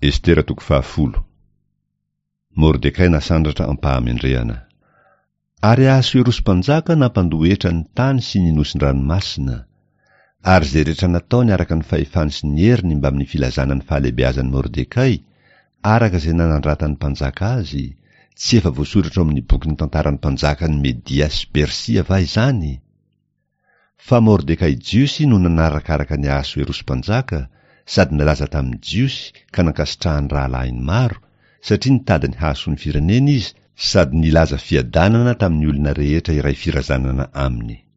Estera toko fahafolo. Mordekay nasandratra am-pahamendrehana. Ary Ahasoerosy mpanjaka nampandoa hetra ny tany sy ny nosin-dranomasina. Ary izay rehetra nataony araka ny fahefany sy ny heriny mbamin'ny filazana ny fahalehibeazan'i Mordekay, araka izay nanandratan'ny mpanjaka azy, tsy efa voasoratra ao amin'ny bokin'ny tantaran'ny mpanjakan'i Media sy Persia va izany? Fa Mordekay Jiosy no nanarakaraka an'i Ahasoerosy mpanjaka sady nalaza tamin'ny Jiosy ka nankasitrahan'ny rahalahiny maro, satria nitady ny hahasoa ny firenena izy sady nilaza fiadanana tamin'ny olona rehetra iray firazanana aminy.